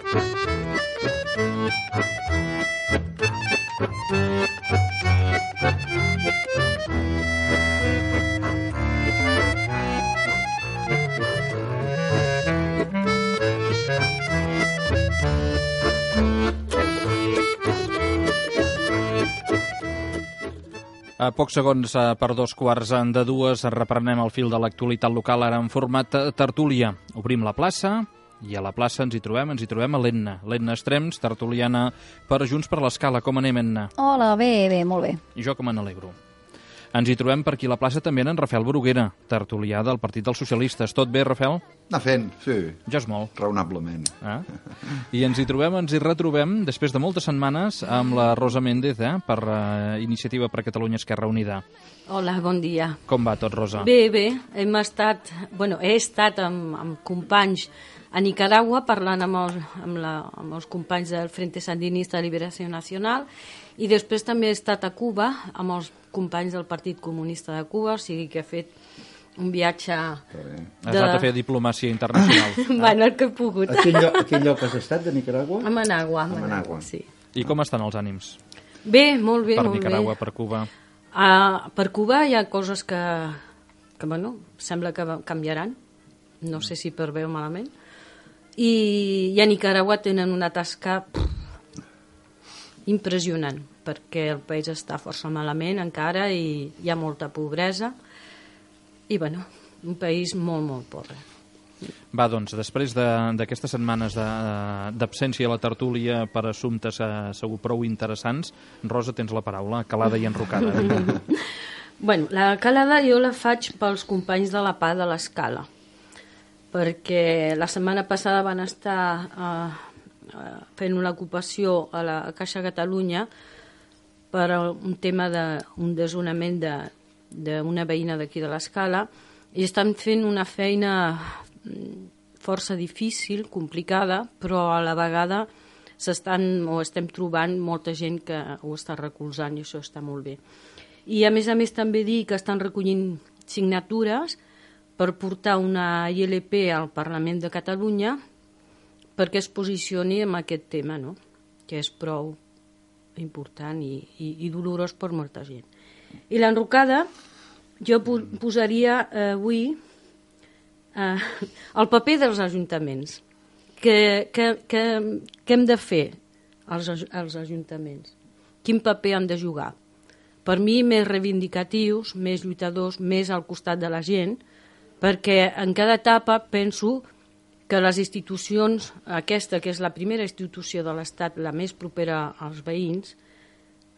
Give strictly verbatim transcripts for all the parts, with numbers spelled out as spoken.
A pocs segons per dos quarts de dues reprenem el fil de l'actualitat local, ara en format tertúlia. Obrim la plaça i a la plaça ens hi trobem, ens hi trobem a l'Etna. L'Etna Estrems, tertuliana per Junts per l'Escala. Com anem, Etna? Hola, bé, bé, molt bé. I jo com me n'alegro. Ens hi trobem per aquí a la plaça també en Rafael Bruguera, tertulià del Partit dels Socialistes. Tot bé, Rafael? Anar fent, sí. Ja és molt. Raonablement. Ah? I ens hi trobem, ens hi retrobem, després de moltes setmanes, amb la Rosa Méndez, eh, per uh, Iniciativa per Catalunya Esquerra Unida. Hola, bon dia. Com va tot, Rosa? Bé, bé. Hem estat, bueno, he estat amb, amb companys a Nicaragua parlant amb els, amb, la, amb els companys del Frente Sandinista de Liberació Nacional i després també he estat a Cuba amb els companys del Partit Comunista de Cuba, o sigui que he fet un viatge... De... Has anat a fer diplomàcia internacional. Bueno, el que he pogut. A quin, lloc, a quin lloc has estat, de Nicaragua? A Managua. A Managua. Managua, sí. I com estan els ànims? Bé, molt bé, per molt Nicaragua, bé. per Cuba? Uh, per Cuba hi ha coses que, que, bueno, sembla que canviaran. No sé si per bé o malament. I, i a Nicaragua tenen una tasca pff, impressionant, perquè el país està força malament encara i hi ha molta pobresa i, bueno, un país molt, molt pobre. Va, doncs, després d'aquestes setmanes d'absència a la tertúlia per assumptes eh, segur prou interessants, Rosa, tens la paraula, calada i enrocada. Bueno, la calada jo la faig pels companys de la P A de l'Escala, perquè la setmana passada van estar eh, fent una ocupació a la Caixa Catalunya per un tema d'un desnonament d'una veïna d'aquí de l'Escala i estan fent una feina força difícil, complicada, però a la vegada s'estan o estem trobant molta gent que ho està recolzant i això està molt bé. I a més a més també dir que estan recollint signatures per portar una I L P al Parlament de Catalunya perquè es posicioni en aquest tema, no? Que és prou important i, i, i dolorós per molta gent. I l'enrocada, jo posaria eh, avui eh, el paper dels ajuntaments. Que, que, que, que hem de fer els, els ajuntaments? Quin paper han de jugar? Per mi, més reivindicatius, més lluitadors, més al costat de la gent, perquè en cada etapa penso que les institucions, aquesta que és la primera institució de l'Estat, la més propera als veïns,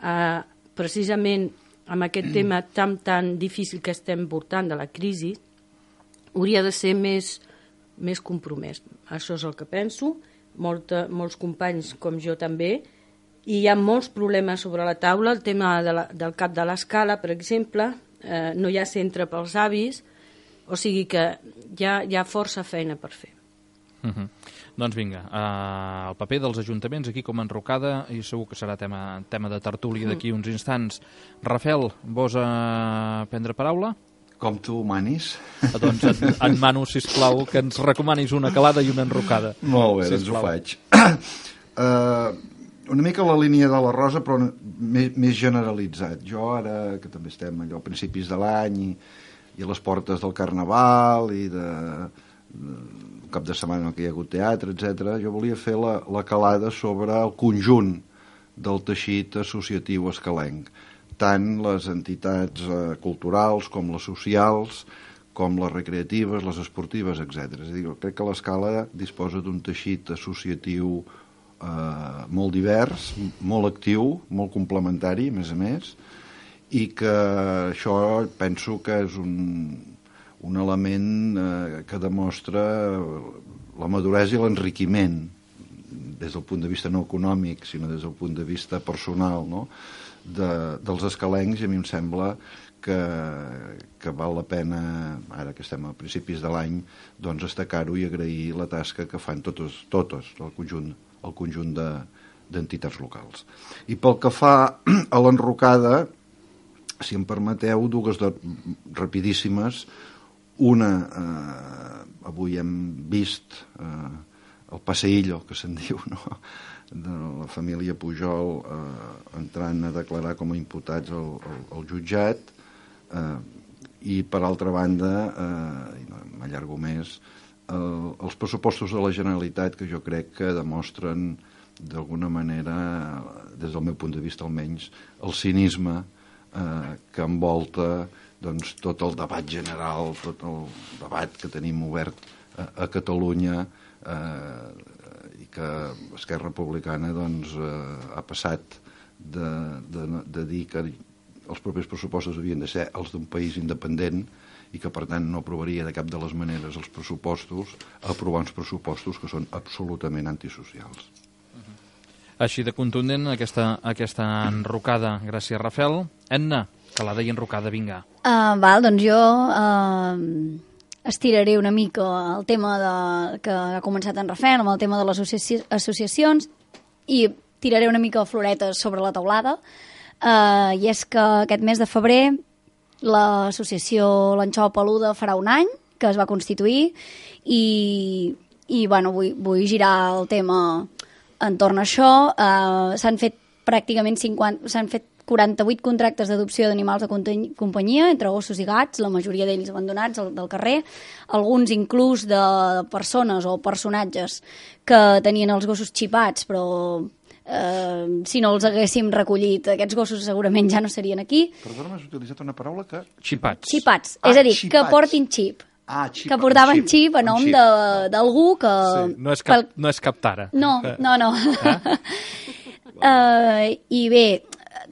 eh, precisament amb aquest tema tan, tan difícil que estem portant de la crisi, hauria de ser més, més compromès. Això és el que penso, Molta, molts companys com jo també, i hi ha molts problemes sobre la taula, el tema de la, del cap de l'Escala, per exemple, eh, no hi ha centre pels avis, o sigui que hi ha, hi ha força feina per fer. Uh -huh. Doncs vinga, uh, el paper dels ajuntaments aquí com a enrocada i segur que serà tema, tema de tertúlia d'aquí uns instants. Rafael, vols uh, prendre paraula? Com tu manis. Uh, doncs et, et mano, sisplau, que ens recomanis una calada i una enrocada. Molt bé, sisplau. Doncs ho faig. uh, una mica la línia de la Rosa, però més, més generalitzat. Jo ara, que també estem allò a principis de l'any i, i a les portes del Carnaval i de... de cap de setmana que hi ha hagut teatre, etcètera, jo volia fer la, la calada sobre el conjunt del teixit associatiu escalenc, tant les entitats eh, culturals com les socials, com les recreatives, les esportives, etcètera. És a dir, crec que l'Escala disposa d'un teixit associatiu eh, molt divers, molt actiu, molt complementari, a més a més, i que això penso que és un... un element eh, que demostra la maduresa i l'enriquiment des del punt de vista no econòmic, sinó des del punt de vista personal, no? de, dels escalencs, i a mi em sembla que, que val la pena, ara que estem a principis de l'any, doncs destacar-ho i agrair la tasca que fan totes, totes el conjunt, el conjunt de, d'entitats locals. I pel que fa a l'enrocada, si em permeteu, dues de, rapidíssimes. Una, eh, avui hem vist eh, el passeillo, que se'n diu, no?, de la família Pujol eh, entrant a declarar com a imputats al, al, al jutjat, eh, i per altra banda, eh, i no m'allargo més, el, els pressupostos de la Generalitat, que jo crec que demostren d'alguna manera, des del meu punt de vista almenys, el cinisme eh, que envolta doncs, tot el debat general, tot el debat que tenim obert a, a Catalunya, eh, i que Esquerra Republicana doncs, eh, ha passat de, de, de dir que els propers pressupostos havien de ser els d'un país independent i que per tant no aprovaria de cap de les maneres els pressupostos, a aprovar uns pressupostos que són absolutament antisocials. Així de contundent aquesta, aquesta enrocada. Gràcies, Rafel. Edna, calada i enrocada, vinga. Uh, val, doncs jo uh, estiraré una mica el tema de, que ha començat en Rafel, amb el tema de les associ associacions, i tiraré una mica floretes sobre la taulada. Uh, I és que aquest mes de febrer l'associació L'Anxova Peluda farà un any que es va constituir i, i bueno, vull, vull girar el tema entorn a això. Uh, s'han fet pràcticament cinquanta, s'han fet quaranta-vuit contractes d'adopció d'animals de companyia, entre gossos i gats, la majoria d'ells abandonats del carrer, alguns inclús de persones o personatges que tenien els gossos xipats, però eh, si no els haguéssim recollit, aquests gossos segurament ja no serien aquí. Perdona, has utilitzat una paraula que... Xipats. Xipats, Ah, és a dir, xipats. que portin xip. Ah, xip, Que portaven un xip a nom un xip. de- d'algú que... Sí, no és cap, pel- no és cap tara. No, Eh, no, no. Uh, I bé,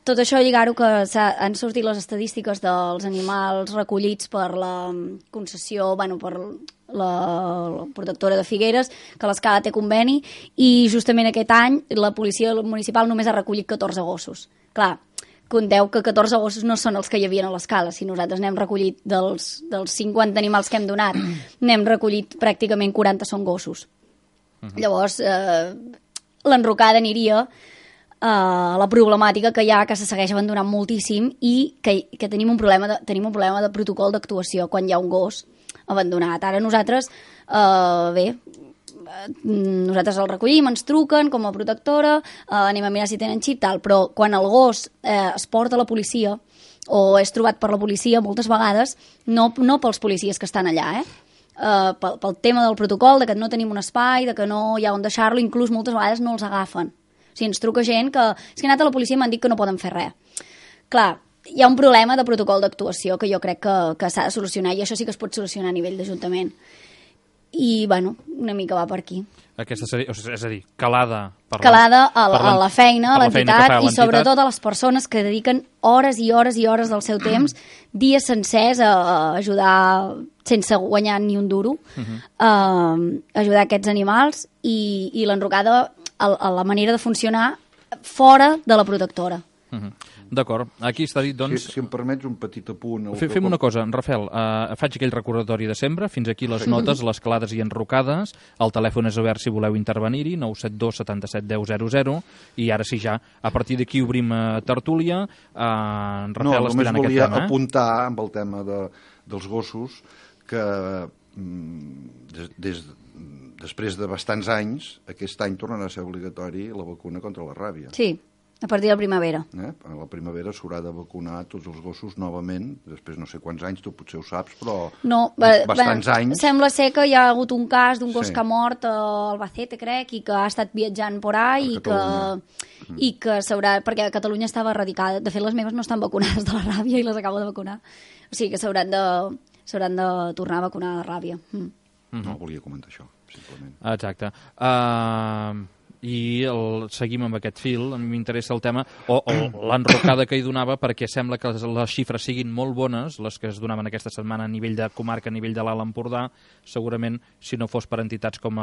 tot això lligar-ho que han sortit les estadístiques dels animals recollits per la concessió, bueno, per la, la protectora de Figueres, que l'Escala té conveni, i justament aquest any la policia municipal només ha recollit catorze gossos. Clar, compteu que catorze gossos no són els que hi havia a l'Escala. Si nosaltres n'hem recollit dels, dels cinquanta animals que hem donat, n'hem recollit pràcticament quaranta són gossos. Uh-huh. Llavors, eh, l'enrocada aniria Uh, la problemàtica que hi ha, que se segueix abandonant moltíssim i que, que tenim, un problema de, tenim un problema de protocol d'actuació quan hi ha un gos abandonat. Ara nosaltres, uh, bé, nosaltres el recollim, ens truquen com a protectora, uh, anem a mirar si tenen xip, tal, però quan el gos uh, es porta a la policia o és trobat per la policia, moltes vegades, no, no pels policies que estan allà, eh? Uh, pel, pel tema del protocol, de que no tenim un espai, de que no hi ha on deixar-lo, inclús moltes vegades no els agafen. O sigui, ens truca gent que... És que he anat a la policia i m'han dit que no poden fer res. Clar, hi ha un problema de protocol d'actuació que jo crec que, que s'ha de solucionar, i això sí que es pot solucionar a nivell d'Ajuntament. I, bueno, una mica va per aquí. Aquesta seria, o sigui, és a dir, calada per Calada a la, per a la feina, a per la feina que l'entitat, fa i l'entitat. sobretot a les persones que dediquen hores i hores i hores del seu temps, dies sencers, a, a ajudar sense guanyar ni un duro, uh -huh. a ajudar aquests animals, i, i l'enrocada a, a la manera de funcionar fora de la protectora. Uh -huh. D'acord, aquí està dit, doncs... Si, si em permets un petit apunt... Fem, fem una cosa, Rafel, uh, faig aquell recordatori de sempre, fins aquí les notes, les calades i enrocades, el telèfon és obert si voleu intervenir-hi, nou set dos setanta-set deu zero zero, i ara sí ja, a partir d'aquí obrim uh, tertúlia, uh, en Rafel no, explicant aquest tema. No, només volia apuntar amb el tema de, dels gossos que mm, des, des, després de bastants anys, aquest any tornarà a ser obligatori la vacuna contra la ràbia. Sí, a partir de la primavera. Eh? A la primavera s'haurà de vacunar tots els gossos novament, després no sé quants anys, tu potser ho saps, però no, bastants ben, anys. Sembla ser que hi ha hagut un cas d'un gos Sí. que ha mort a Albacete, crec, i que ha estat viatjant por ahí, i que, Catalunya. i que s'haurà... Perquè a Catalunya estava erradicada. De fet, les meves no estan vacunades de la ràbia i les acabo de vacunar. O sigui que s'hauran de, s'hauran de tornar a vacunar de la ràbia. Mm. No, volia comentar això, simplement. Exacte. Uh, I el, seguim amb aquest fil, a mi m'interessa el tema, o, o l'enrocada que hi donava, perquè sembla que les, les xifres siguin molt bones, les que es donaven aquesta setmana a nivell de comarca, a nivell de l'Alt Empordà, segurament, si no fos per entitats com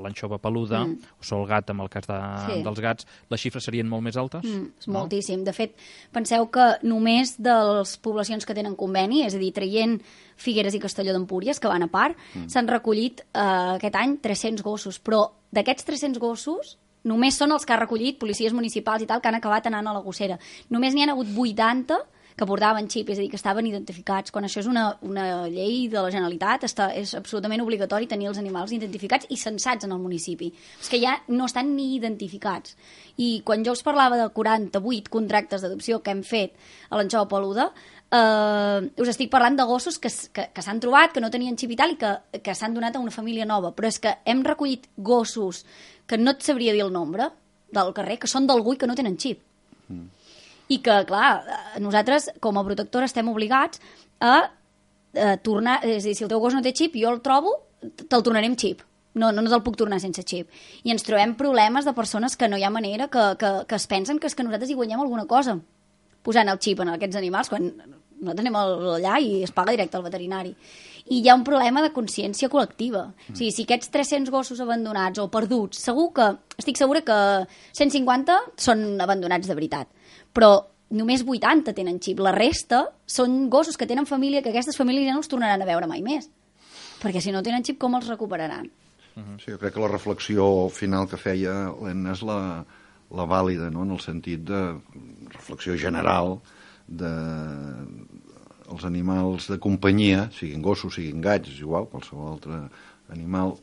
l'Anxova Peluda, mm. o Solgat, amb el cas de, sí. dels gats, les xifres serien molt més altes? Mm, és no? moltíssim. De fet, penseu que només de les poblacions que tenen conveni, és a dir, traient Figueres i Castelló d'Empúries, que van a part, mm. s'han recollit eh, aquest any tres-cents gossos, però d'aquests tres-cents gossos només són els que ha recollit policies municipals i tal, que han acabat anant a la gossera. Només n'hi han hagut vuitanta que portaven xip, és a dir, que estaven identificats, quan això és una, una llei de la Generalitat, està, és absolutament obligatori tenir els animals identificats i censats en el municipi. És que ja no estan ni identificats. I quan jo us parlava de quaranta-vuit contractes d'adopció que hem fet a l'Anxova Peluda, eh, us estic parlant de gossos que, que, que s'han trobat, que no tenien xip i tal, i que, que s'han donat a una família nova. Però és que hem recollit gossos que no et sabria dir el nombre del carrer, que són d'algú i que no tenen xip. Mm. I que, clar, nosaltres, com a protectora, estem obligats a, a tornar... És a dir, si el teu gos no té xip, jo el trobo, te'l tornaré amb xip. No, no te'l puc tornar sense xip. I ens trobem problemes de persones que no hi ha manera, que, que, que es pensen que és que nosaltres hi guanyem alguna cosa posant el xip en aquests animals, quan nosaltres anem allà i es paga directe al veterinari. I hi ha un problema de consciència col·lectiva. Mm. O sigui, si aquests tres-cents gossos abandonats o perduts, segur que, estic segura que cent cinquanta són abandonats de veritat. Però només vuitanta tenen xip. La resta són gossos que tenen família, que aquestes famílies ja no els tornaran a veure mai més. Perquè si no tenen xip, com els recuperaran? Sí, jo crec que la reflexió final que feia l'Enna és la, la vàlida, no?, en el sentit de reflexió general de els animals de companyia, siguin gossos, siguin gats, és igual, qualsevol altre animal,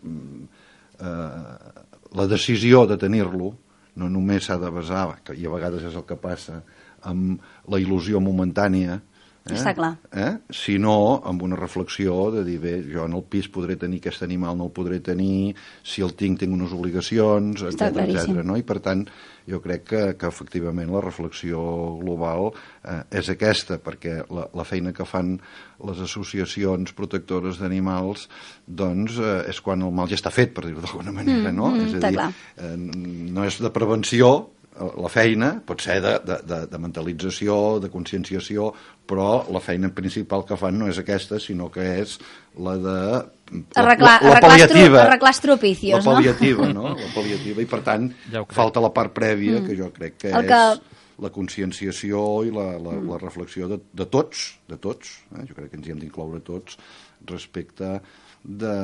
eh, la decisió de tenir-lo no només s'ha de basar, i a vegades és el que passa, amb la il·lusió momentània, eh? Està clar. Eh? Sinó amb una reflexió de dir, bé, jo en el pis podré tenir aquest animal, no el podré tenir, si el tinc, tinc unes obligacions, etcètera, etcètera, no? I per tant, jo crec que, que efectivament la reflexió global eh, és aquesta, perquè la, la feina que fan les associacions protectores d'animals, doncs, eh, és quan el mal ja està fet, per dir-ho d'alguna manera, no? Mm, mm, és a dir, eh, no és de prevenció, la feina pot ser de, de, de, de mentalització, de conscienciació, però la feina principal que fan no és aquesta, sinó que és la de... Arreglar, la, la, la pal·liativa. Arreglar estropicios, no? La pal·liativa, no? La pal·liativa, i per tant ja falta la part prèvia, mm. que jo crec que El és que... la conscienciació i la, la, mm. la reflexió de, de tots, de tots, eh? Jo crec que ens hi hem d'incloure tots, respecte de,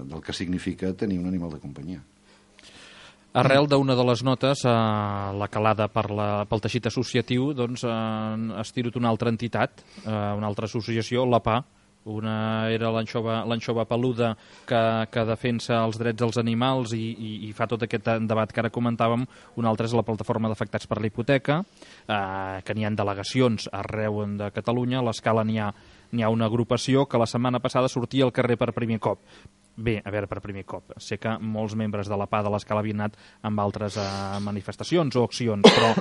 del que significa tenir un animal de companyia. Arrel d'una de les notes, eh, la calada per la, pel teixit associatiu, doncs eh, ha estirat una altra entitat, eh, una altra associació, la P A. Una era l'Anxova Peluda, que, que defensa els drets dels animals i, i, i fa tot aquest debat que ara comentàvem. Una altra és la plataforma d'afectats per la hipoteca, eh, que n'hi ha delegacions arreu de Catalunya. A l'Escala n'hi ha, n'hi ha una agrupació que la setmana passada sortia al carrer per primer cop. Bé, a veure, per primer cop. Sé que molts membres de la P A de l'Escala havien anat amb altres eh, manifestacions o accions, però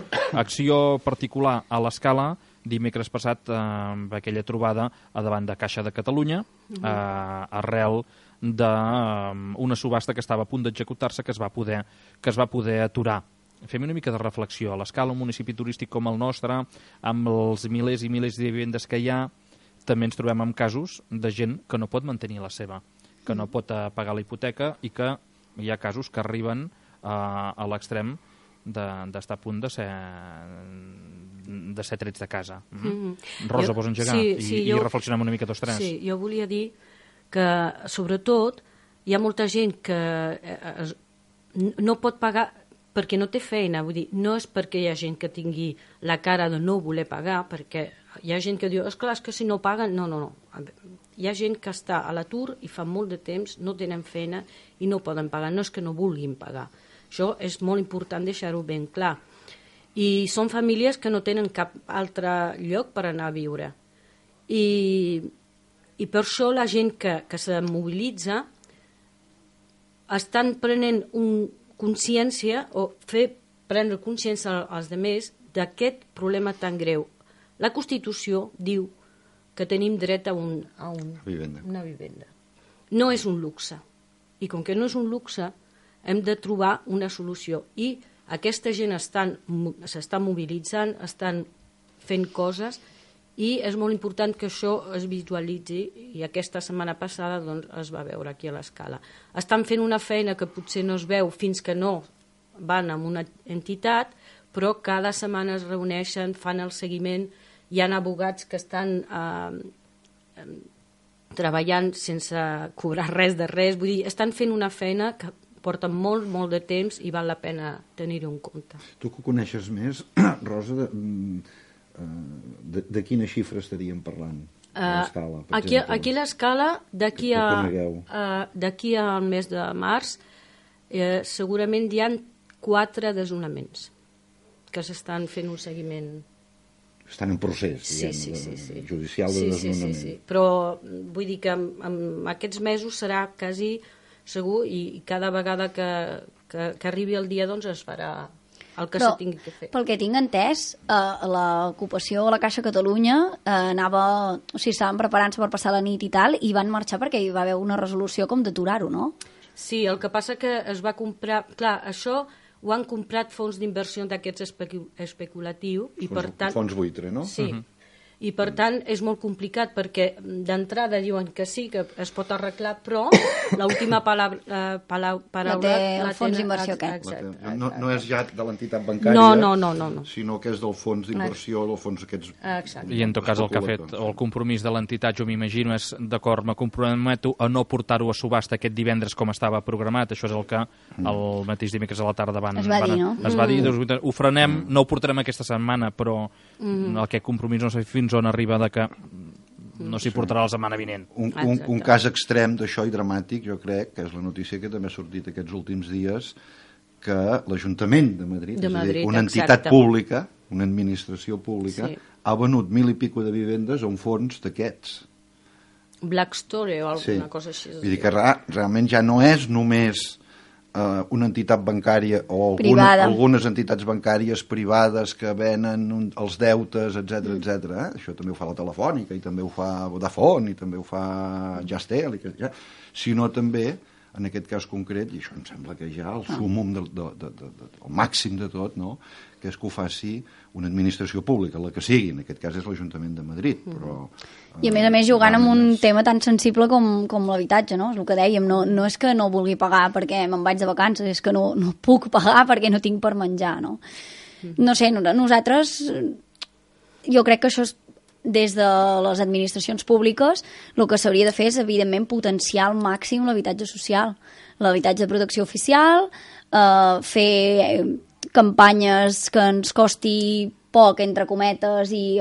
acció particular a l'Escala dimecres passat, eh, amb aquella trobada a davant de Caixa de Catalunya, eh, arrel d'una subhasta que estava a punt d'executar-se, que es va poder, que es va poder aturar. Fem una mica de reflexió. A l'Escala, un municipi turístic com el nostre, amb els milers i milers de vivendes que hi ha, també ens trobem amb casos de gent que no pot mantenir la seva, que no pot pagar la hipoteca i que hi ha casos que arriben uh, a l'extrem d'estar de, a punt de ser, de ser trets de casa. Mm -hmm. Rosa, vols engegar? Sí, sí, I, jo, i reflexionem una mica tots tres. Sí, jo volia dir que, sobretot, hi ha molta gent que eh, no pot pagar perquè no té feina. Vull dir, no és perquè hi ha gent que tingui la cara de no voler pagar, perquè hi ha gent que diu, esclar, és que si no paguen... No, no, no. Hi ha gent que està a l'atur i fa molt de temps, no tenen feina i no poden pagar. No és que no vulguin pagar. Això és molt important deixar-ho ben clar. I són famílies que no tenen cap altre lloc per anar a viure. I, i per això la gent que, que se mobilitza estan prenent un, consciència o fer prendre consciència als altres d'aquest problema tan greu. La Constitució diu que tenim dret a, un, a un, vivenda. una vivenda. No és un luxe. I com que no és un luxe, hem de trobar una solució. I aquesta gent s'està mobilitzant, estan fent coses, i és molt important que això es visualitzi, i aquesta setmana passada doncs, es va veure aquí a l'Escala. Estan fent una feina que potser no es veu fins que no van a una entitat, però cada setmana es reuneixen, fan el seguiment. Hi ha abogats que estan eh, eh, treballant sense cobrar res de res. Vull dir, estan fent una feina que porta molt, molt de temps i val la pena tenir-ho en compte. Tu que ho coneixes més, Rosa, de, de, de quina xifra estaríem parlant? Uh, l'escala, aquí, aquí l'escala, d'aquí Que- que a, conegueu. uh, d'aquí al mes de març, eh, segurament hi ha quatre desnonaments que s'estan fent un seguiment. Estan en procés, Sí, diguem, sí, de- sí, sí. judicial de sí, sí, desnonament. sí, sí. Però vull dir que en, en aquests mesos serà quasi segur i, i cada vegada que, que, que arribi el dia doncs es farà el que Però, se tingui que fer. pel que tinc entès, eh, l'ocupació a la Caixa Catalunya eh, anava, o sigui, estaven preparant-se per passar la nit i tal, i van marxar perquè hi va haver una resolució com d'aturar-ho, no? Sí, el que passa que es va comprar... Clar, això ho han comprat fons d'inversió d'aquests especu especulatius i per tant... Fons buitre, no? Sí, uh -huh. I per tant és molt complicat perquè d'entrada diuen que sí, que es pot arreglar, però l'última paraula, eh, paraula, La té el fons tenen- d'inversió ex- aquest. exacte, No, no és ja de l'entitat No, bancària, no, no, no, no. sinó que és del fons d'inversió, del fons aquests... Exacte. I en tot cas el que ha fet, o el compromís de l'entitat, jo m'imagino, és d'acord, me comprometo a no portar-ho a subhasta aquest divendres com estava programat, això és el que el mateix dimecres a la tarda van... Es va van, dir, no? Es va dir, doncs, ho frenem, no ho portarem aquesta setmana, però aquest compromís no sé fins on arriba de que no s'hi portarà la setmana vinent. Un, un, un cas extrem d'això i dramàtic, jo crec, que és la notícia que també ha sortit aquests últims dies, que l'Ajuntament de Madrid, De és a Madrid, dir, una entitat exacte. pública, una administració pública, Sí. ha venut mil i pico de vivendes a un fons d'aquests. Blackstone o alguna Sí. cosa així. Vull dir que ra- realment ja no és només eh, una entitat bancària o alguna, Privada. algunes entitats bancàries privades que venen un, els deutes, etcètera, etcètera. Eh? Això també ho fa la Telefònica i també ho fa Vodafone i també ho fa Jastel, i que, ja, sinó també, en aquest cas concret, i això em sembla que ja el sumum, del, de, de, de, de, el màxim de tot, no? Que és que ho faci una administració pública, la que sigui, en aquest cas és l'Ajuntament de Madrid, però... I a més a més jugant amb un realment és- tema tan sensible com, com l'habitatge, no? És el que dèiem, no, no és que no vulgui pagar perquè me'n vaig de vacances, és que no, no puc pagar perquè no tinc per menjar, no? No sé, no- nosaltres, jo crec que això és, des de les administracions públiques, el que s'hauria de fer és, evidentment, potenciar al màxim l'habitatge social, l'habitatge de protecció oficial, eh, fer campanyes que ens costi poc, entre cometes, i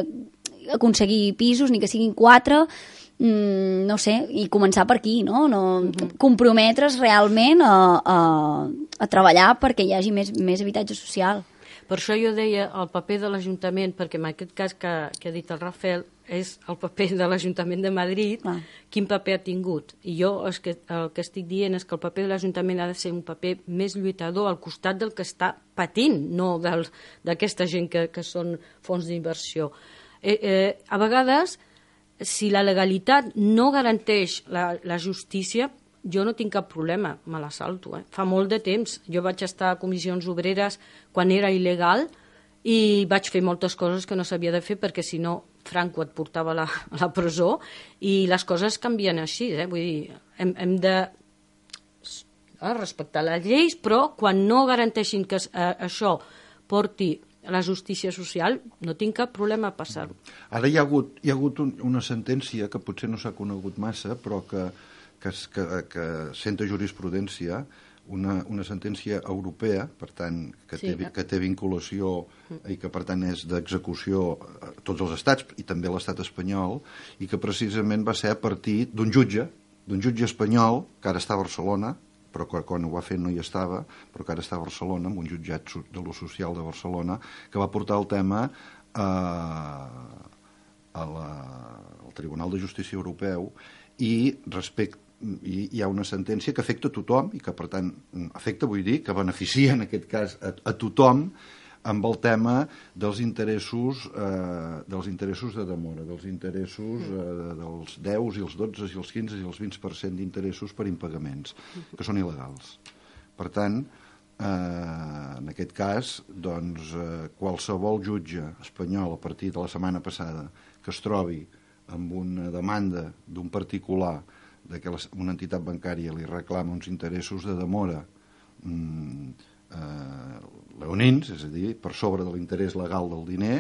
aconseguir pisos, ni que siguin quatre, mm, no sé, i començar per aquí, no? no Mhm. comprometre's realment a, a, a treballar perquè hi hagi més, més habitatge social. Per això jo deia el paper de l'Ajuntament, perquè en aquest cas que, que ha dit el Rafael, és el paper de l'Ajuntament de Madrid, Ah. quin paper ha tingut. I jo el que, el que estic dient és que el paper de l'Ajuntament ha de ser un paper més lluitador al costat del que està patint, no del- d'aquesta gent que, que són fons d'inversió. Eh, eh, a vegades, si la legalitat no garanteix la, la justícia, jo no tinc cap problema, me la salto. Eh? Fa molt de temps. Jo vaig estar a comissions obreres quan era il·legal i vaig fer moltes coses que no s'havia de fer perquè si no Franco et portava a la, a la presó i les coses canvien així. Eh? Vull dir, hem, hem de eh, respectar les lleis, però quan no garanteixin que eh, això porti la justícia social, no tinc cap problema a passar-ho. Ara hi ha hagut, hi ha hagut un, una sentència que potser no s'ha conegut massa, però que, que, es- que, que senta jurisprudència, una, una sentència europea, per tant, que, Sí. té, que té vinculació i que, per tant, és d'execució a tots els estats, i també l'estat espanyol, i que precisament va ser a partir d'un jutge, d'un jutge espanyol, que ara està a Barcelona, però que quan ho va fer no hi estava, però que ara està a Barcelona, amb un jutjat so- de lo social de Barcelona, que va portar el tema eh, a la, al Tribunal de Justícia Europeu i respecte i hi ha una sentència que afecta a tothom i que, per tant, afecta, vull dir, que beneficia, en aquest cas, a, a tothom amb el tema dels interessos eh, dels interessos de demora, dels interessos eh, dels deu i els dotze i els quinze i els vint per cent d'interessos per impagaments, que són il·legals. Per tant, eh, en aquest cas, doncs, eh, qualsevol jutge espanyol a partir de la setmana passada que es trobi amb una demanda d'un particular de que les- una entitat bancària li reclama uns interessos de demora mm, eh, leonins, és a dir, per sobre de l'interès legal del diner,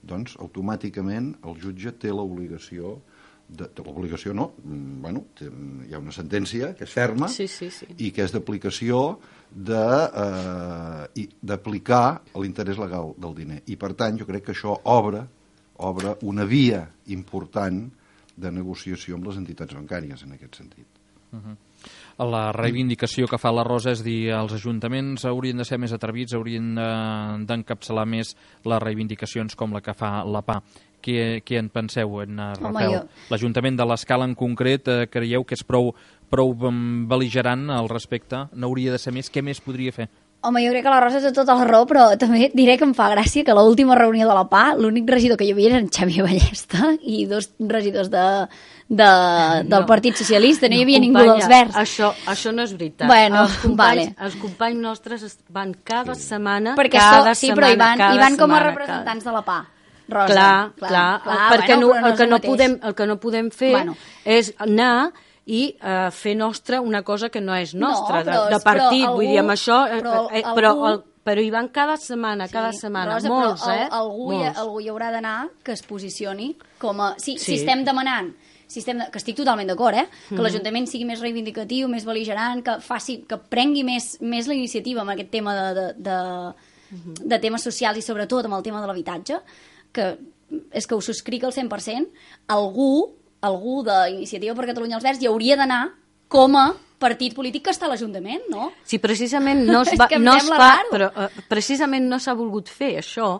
doncs automàticament el jutge té l'obligació de, de l'obligació no, mm, bueno, té, hi ha una sentència que és ferma Sí, sí, sí. i que és d'aplicació de, eh, i- d'aplicar l'interès legal del diner. I per tant jo crec que això obre obre una via important de negociació amb les entitats bancàries en aquest sentit. Uh-huh. La reivindicació que fa la Rosa és dir els ajuntaments haurien de ser més atrevits, haurien d'encapçalar més les reivindicacions com la que fa la P A. Què, què en penseu, en Rafael? Jo... L'Ajuntament de l'Escala en concret, eh, creieu que és prou, prou bel·ligerant al respecte? No hauria de ser més? Què més podria fer? Home, jo crec que la Rosa té tota la raó, però també diré que em fa gràcia que a l'última reunió de la P A l'únic regidor que hi havia era en Xavier Ballesta i dos regidors de, de, del no, Partit Socialista, no hi havia no, ningú dels Verds. Això, això no és veritat. Bueno, els, companys, vale. els companys nostres van cada sí. setmana, perquè cada so, sí, setmana, però hi van, hi van com a setmana, representants cada... de la P A. Rosa, clar, clar, clar, clar perquè bueno, no, el, que no no podem, el que no podem fer bueno. és anar i uh, fer nostra una cosa que no és nostra, no, però, de, de partit, algú, vull dir, amb això, però, eh, algú, però, el, però hi van cada setmana, sí, cada setmana, Rosa, molts, però, eh? Algú, molts. Hi, algú hi haurà d'anar que es posicioni com a... Si, sí. si estem demanant, si estem de, que estic totalment d'acord, eh? Que mm. l'Ajuntament sigui més reivindicatiu, més bel·ligerant, que, faci, que prengui més, més la iniciativa amb aquest tema de, de, de, mm-hmm. de temes socials i sobretot amb el tema de l'habitatge, que és que ho subscric al cent per cent, algú, algú d'Iniciativa per Catalunya els Verds hi hauria d'anar com a partit polític que està a l'Ajuntament, no? Sí, precisament no es, va, no es fa, però uh, precisament no s'ha volgut fer això,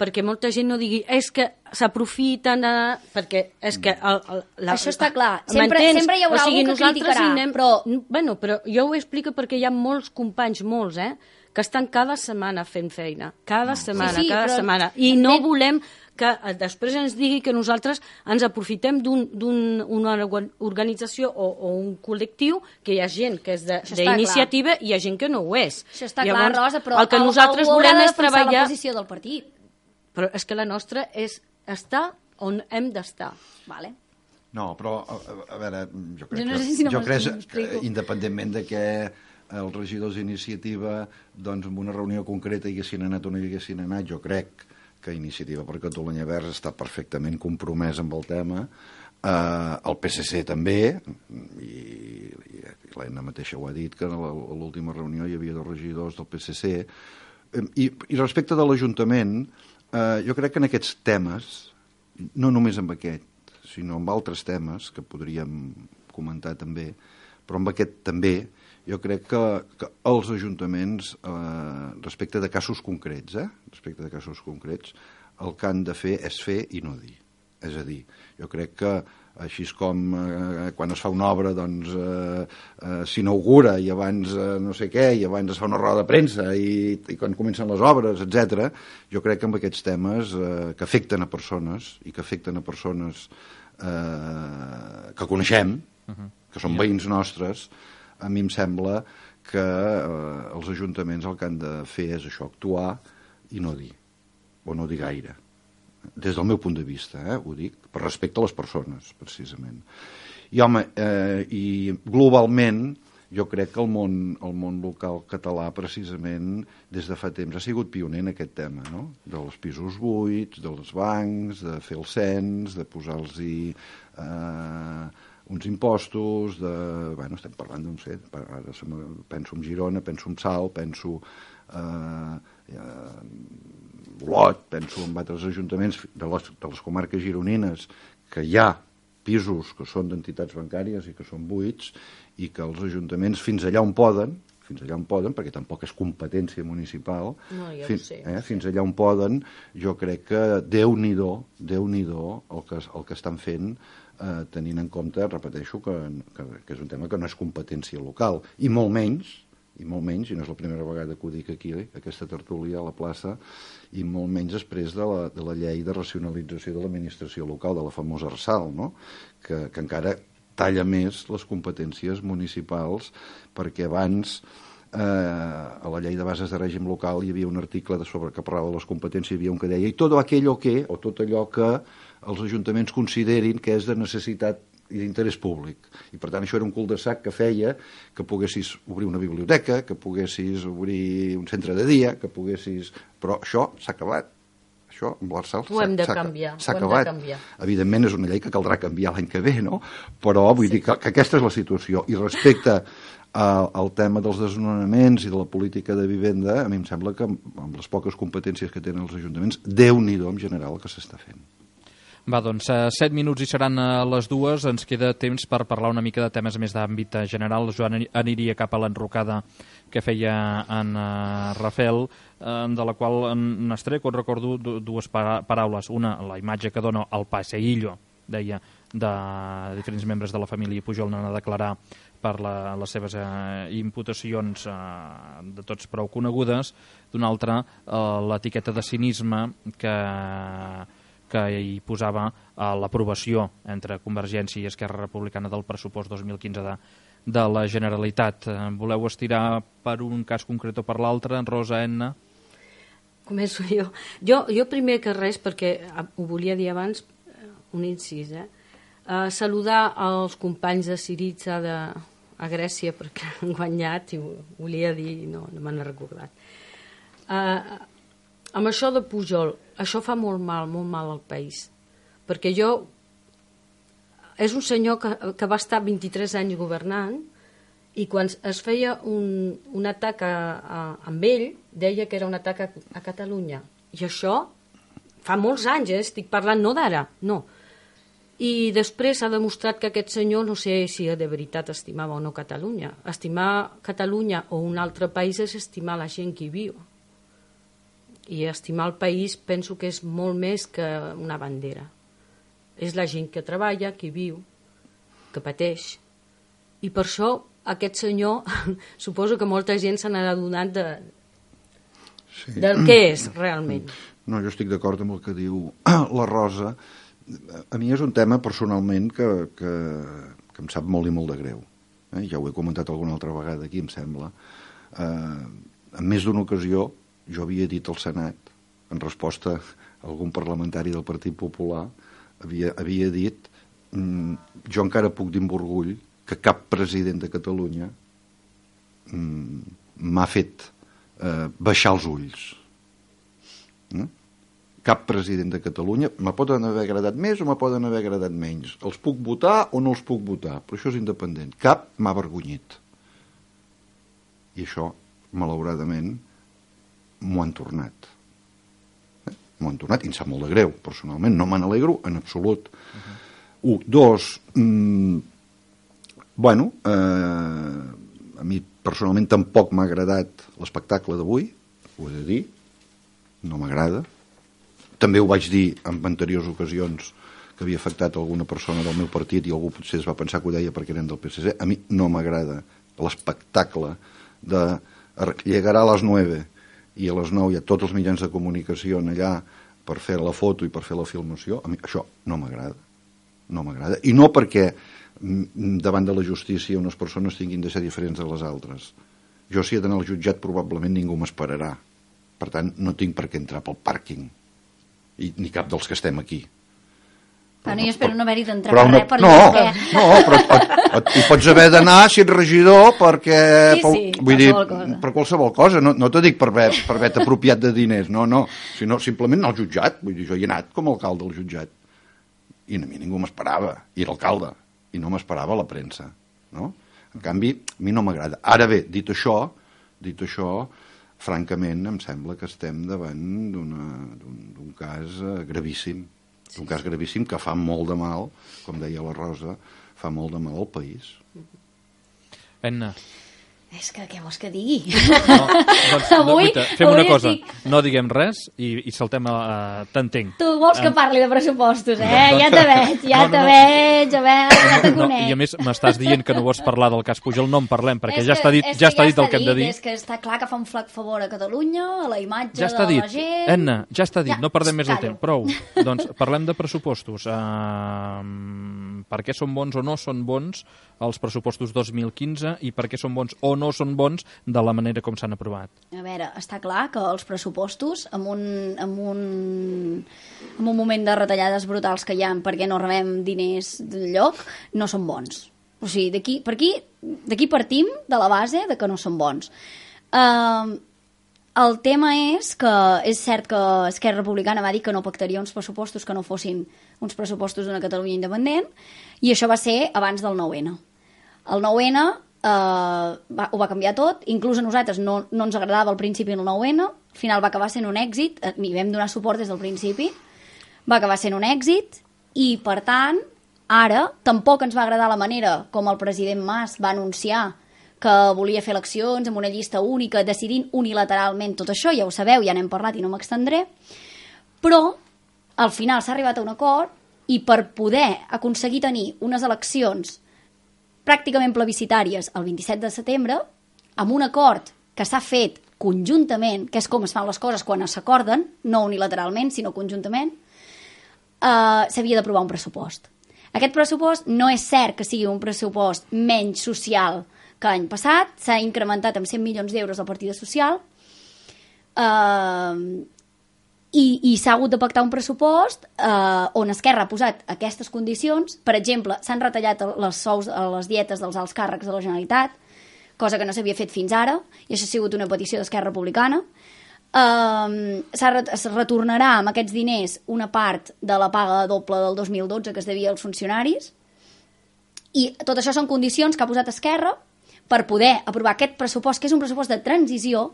perquè molta gent no digui és que s'aprofiten, uh, perquè és que... El, el, la, això està clar, sempre, sempre hi haurà o sigui, algú que criticarà, anem, però... Bueno, però jo ho explico perquè hi ha molts companys, molts, eh, que estan cada setmana fent feina, cada setmana, sí, sí, cada però... setmana, i no volem que després ens digui que nosaltres ens aprofitem d'una un, organització o, o un col·lectiu, que hi ha gent que és d'iniciativa i hi ha gent que no ho és. Això està Llavors, clar, Rosa, però el que nosaltres volem és treballar... la posició del partit. Però és que la nostra és estar on hem d'estar. Vale. No, però, a, a veure, jo crec jo no sé si no que, jo crec que, independentment de que els regidors d'iniciativa, doncs, en una reunió concreta hi haguessin anat o no hi haguessin anat, jo crec que Iniciativa per Catalunya Verds està perfectament compromès amb el tema, eh, el P S C també, i, i, i l'Anna mateixa ho ha dit, que a l'última reunió hi havia dos regidors del P S C, i, i respecte de l'Ajuntament, eh, jo crec que en aquests temes, no només amb aquest, sinó amb altres temes que podríem comentar també, però amb aquest també, jo crec que, que els ajuntaments, eh, respecte de casos concrets, eh, respecte de casos concrets, el que han de fer és fer i no dir. És a dir, jo crec que així com eh, quan es fa una obra doncs eh, eh, s'inaugura i abans eh, no sé què, i abans es fa una roda de premsa i, i quan comencen les obres, etcètera, jo crec que amb aquests temes eh, que afecten a persones i que afecten a persones eh, que coneixem, uh-huh. que són veïns nostres, a mi em sembla que eh, els ajuntaments el que han de fer és això, actuar i no dir, o no dir gaire. Des del meu punt de vista, eh, ho dic, per respecte a les persones, precisament. I, home, eh, i globalment, jo crec que el món, el món local català, precisament, des de fa temps, ha sigut pioner en aquest tema, no? Dels pisos buits, dels bancs, de fer el cens, de posar-los-hi... Eh, uns impostos, de, bueno, estem parlant d'un set, ara penso en Girona, penso en Salt, penso eh, eh, Olot, penso en altres ajuntaments de les, de les comarques gironines, que hi ha pisos que són d'entitats bancàries i que són buits, i que els ajuntaments fins allà on poden, fins allà on poden, perquè tampoc és competència municipal, no, ja fins, sé, eh, fins allà on poden, jo crec que Déu-n'hi-do, Déu-n'hi-do el que, el que estan fent, eh, tenint en compte, repeteixo, que, que, que és un tema que no és competència local, i molt menys, i molt menys, i no és la primera vegada que ho dic aquí, aquesta tertúlia a la plaça, i molt menys després de la, de la llei de racionalització de l'administració local, de la famosa ARSAL, no? que, que encara talla més les competències municipals, perquè abans eh, a la llei de bases de règim local hi havia un article de sobre que parlava de les competències, hi havia un que deia i tot aquello que, o tot allò que els ajuntaments considerin que és de necessitat i d'interès públic. I per tant això era un cul-de-sac que feia que poguessis obrir una biblioteca, que poguessis obrir un centre de dia, que poguessis... Però això s'ha acabat. Això amb l'Arsal s'ha acabat. S'ha acabat. Evidentment és una llei que caldrà canviar l'any que ve, no? Però vull sí. dir que, que aquesta és la situació. I respecte a, al tema dels desnonaments i de la política de vivenda, a mi em sembla que amb les poques competències que tenen els ajuntaments, Déu-n'hi-do en general el que s'està fent. Va, doncs, set minuts i seran a les dues. Ens queda temps per parlar una mica de temes més d'àmbit general. Joan aniria cap a l'enrocada que feia en uh, Rafael, uh, de la qual n'estreco, recordo dues para paraules. Una, la imatge que dona el passeillo, deia, de diferents membres de la família Pujol anant a declarar per la, les seves eh, imputacions eh, de tots prou conegudes. D'una altra, eh, l'etiqueta de cinisme que, que hi posava eh, l'aprovació entre Convergència i Esquerra Republicana del pressupost dos mil quinze de, de la Generalitat. Eh, voleu estirar per un cas concret o per l'altre? Rosa, Enna? Començo jo. jo. Jo primer que res, perquè ho volia dir abans, un incís, eh? Uh, saludar els companys de Syriza de, a Grècia perquè han guanyat i ho volia dir, no, no me n'he recordat. Uh, amb això de Pujol, això fa molt mal, molt mal al país, perquè jo és un senyor que, que va estar vint-i-tres anys governant i quan es feia un, un atac a, a, amb ell deia que era un atac a, a Catalunya, i això fa molts anys, eh? Estic parlant no d'ara, no. I després s'ha demostrat que aquest senyor, no sé si de veritat estimava o no Catalunya. Estimar Catalunya o un altre país és estimar la gent que hi viu. I estimar el país penso que és molt més que una bandera. És la gent que treballa, que hi viu, que pateix. I per això aquest senyor, suposo que molta gent se n'ha adonat de, sí. del que és realment. No, jo estic d'acord amb el que diu la Rosa. A mi és un tema personalment que, que, que em sap molt i molt de greu. Eh? Ja ho he comentat alguna altra vegada aquí, em sembla. Eh, en més d'una ocasió jo havia dit al Senat, en resposta a algun parlamentari del Partit Popular, havia, havia dit mm, jo encara puc dir amb orgull que cap president de Catalunya mm, m'ha fet eh, baixar els ulls. Eh? Cap president de Catalunya, me poden haver agradat més o me poden haver agradat menys. Els puc votar o no els puc votar, però això és independent. Cap m'ha avergonyit. I això, malauradament, m'ho han tornat. Eh? M'ho han tornat i em sap molt de greu, personalment. No me n'alegro en absolut. Uh-huh. Un, dos, mm, bueno, eh, a mi personalment tampoc m'ha agradat l'espectacle d'avui, ho he de dir, no m'agrada. També ho vaig dir en anteriors ocasions que havia afectat alguna persona del meu partit i algú potser es va pensar que ho deia perquè eren del P S C. A mi no m'agrada l'espectacle de llegarà a les nueve i a les nou hi ha tots els mitjans de comunicació allà per fer la foto i per fer la filmació. A mi això no m'agrada. No m'agrada. I no perquè davant de la justícia unes persones tinguin de ser diferents de les altres. Jo si he d'anar al jutjat probablement ningú m'esperarà. Per tant, no tinc per què entrar pel pàrquing. I ni cap dels que estem aquí. Però no, jo espero no haver-hi d'entrar per res per no, no, però et, et, hi pots haver d'anar si ets regidor perquè sí, sí, vull dir, cosa. per qualsevol cosa, no, no t'ho dic per haver, per haver apropiat de diners, no, no, sinó simplement anar al jutjat, vull dir, jo hi he anat com a alcalde al jutjat i a mi ningú m'esperava, i era alcalde i no m'esperava la premsa, no? En canvi, a mi no m'agrada. Ara bé, dit això, dit això francament, em sembla que estem davant d'un cas gravíssim, d'un cas gravíssim que fa molt de mal, com deia la Rosa, fa molt de mal al país. Enna. És que què vols que digui? No, doncs, avui, no, fem una cosa, estic... no diguem res i, i saltem a... Uh, t'entenc. Tu vols que parli de pressupostos, eh? No, ja te veig, ja no, no, te no. veig, a veure, ja te conec. No, I a més m'estàs dient que no vols parlar del cas Pujol, no en parlem, perquè és ja que, està dit, ja està dit el que hem de dir. És que està clar que fa un flac favor a Catalunya, a la imatge ja està de dit. la gent... Enna, ja està dit, ja, no perdem més el callo. temps. Prou. Doncs parlem de pressupostos. Uh, per què són bons o no són bons els pressupostos dos mil quinze i per què són bons o no són bons de la manera com s'han aprovat? A veure, està clar que els pressupostos, en un, en un, en un moment de retallades brutals que hi ha perquè no rebem diners d'enlloc, no són bons. O sigui, d'aquí per aquí, d'aquí partim de la base de que no són bons. Uh, el tema és que és cert que Esquerra Republicana va dir que no pactaria uns pressupostos que no fossin uns pressupostos d'una Catalunya independent, i això va ser abans del nou ene. El nou ene Uh, va, ho va canviar tot, inclús a nosaltres no, no ens agradava al principi el nou ene, al final va acabar sent un èxit, i vam donar suport des del principi, va acabar sent un èxit I, per tant, ara tampoc ens va agradar la manera com el president Mas va anunciar que volia fer eleccions amb una llista única, decidint unilateralment tot això, ja ho sabeu, ja n'hem parlat i no m'extendré, però al final s'ha arribat a un acord i per poder aconseguir tenir unes eleccions pràcticament plebiscitàries el vint-i-set de setembre, amb un acord que s'ha fet conjuntament, que és com es fan les coses quan s'acorden, no unilateralment, sinó conjuntament, eh, s'havia d'aprovar un pressupost. Aquest pressupost no és cert que sigui un pressupost menys social que l'any passat, s'ha incrementat amb cent milions d'euros la partida social, eh, i, i s'ha hagut de pactar un pressupost eh, on Esquerra ha posat aquestes condicions. Per exemple, s'han retallat les sous, les dietes dels alts càrrecs de la Generalitat, cosa que no s'havia fet fins ara, i això ha sigut una petició d'Esquerra Republicana. Uh, es retornarà amb aquests diners una part de la paga doble del dos mil dotze que es devia als funcionaris, i tot això són condicions que ha posat Esquerra per poder aprovar aquest pressupost, que és un pressupost de transició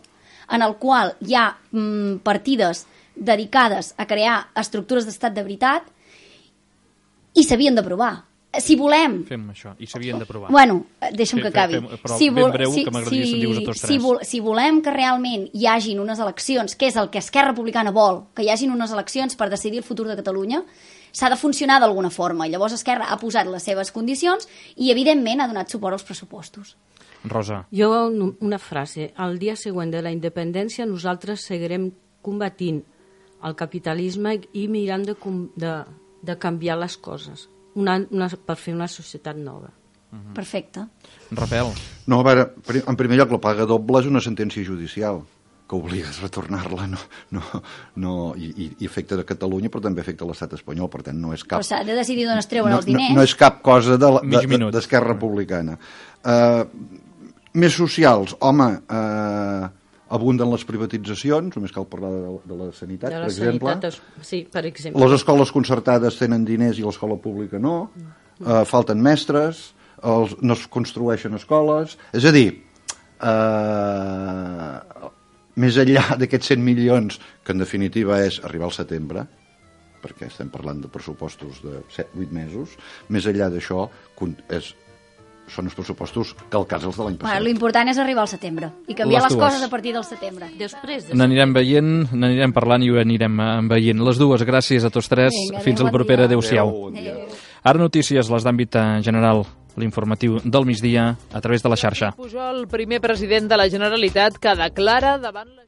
en el qual hi ha mm, partides dedicades a crear estructures d'estat de veritat i s'havien d'aprovar. Si volem... Fem això, i s'havien d'aprovar. Bueno, deixa'm que acabi. Fem, però si ben breu, si, que m'agradaria si, sentir-vos a tots si, tres. vol, si volem que realment hi hagin unes eleccions, que és el que Esquerra Republicana vol, que hi hagin unes eleccions per decidir el futur de Catalunya, s'ha de funcionar d'alguna forma. I llavors Esquerra ha posat les seves condicions i, evidentment, ha donat suport als pressupostos. Rosa. Jo, una frase. El dia següent de la independència nosaltres seguirem combatint el capitalisme i mirant de, de, de canviar les coses una, una, per fer una societat nova. Uh-huh. Perfecte. Rafael. No, a veure, en primer lloc, la paga doble és una sentència judicial que obliga a retornar-la, no, no, no, i, i afecta a Catalunya, però també afecta a l'estat espanyol, per tant no és cap... Però s'ha de decidir d'on es treuen no, els diners. No, no és cap cosa de, de, de, d'Esquerra Republicana. Uh, més socials, home, uh, abunden les privatitzacions, només cal parlar de, de la sanitat, de la per exemple. Sanitat, sí, per exemple. Les escoles concertades tenen diners i l'escola pública no, uh, falten mestres, els, no es construeixen escoles, és a dir, uh, més enllà d'aquests cent milions, que en definitiva és arribar al setembre, perquè estem parlant de pressupostos de set vuit mesos, més enllà d'això és, són els pressupostos calcats els de l'any passat. Bueno, l'important és arribar al setembre i canviar les, les coses a partir del setembre. Després de... N'anirem veient, n'anirem parlant i ho anirem veient. Les dues, gràcies a tots tres. Vinga, fins adeu, a la propera. bon Adéu-siau. Adéu. Ara notícies, les d'àmbit general, l'informatiu del migdia a través de la xarxa. Pujol, primer president de la Generalitat, que declara davant la...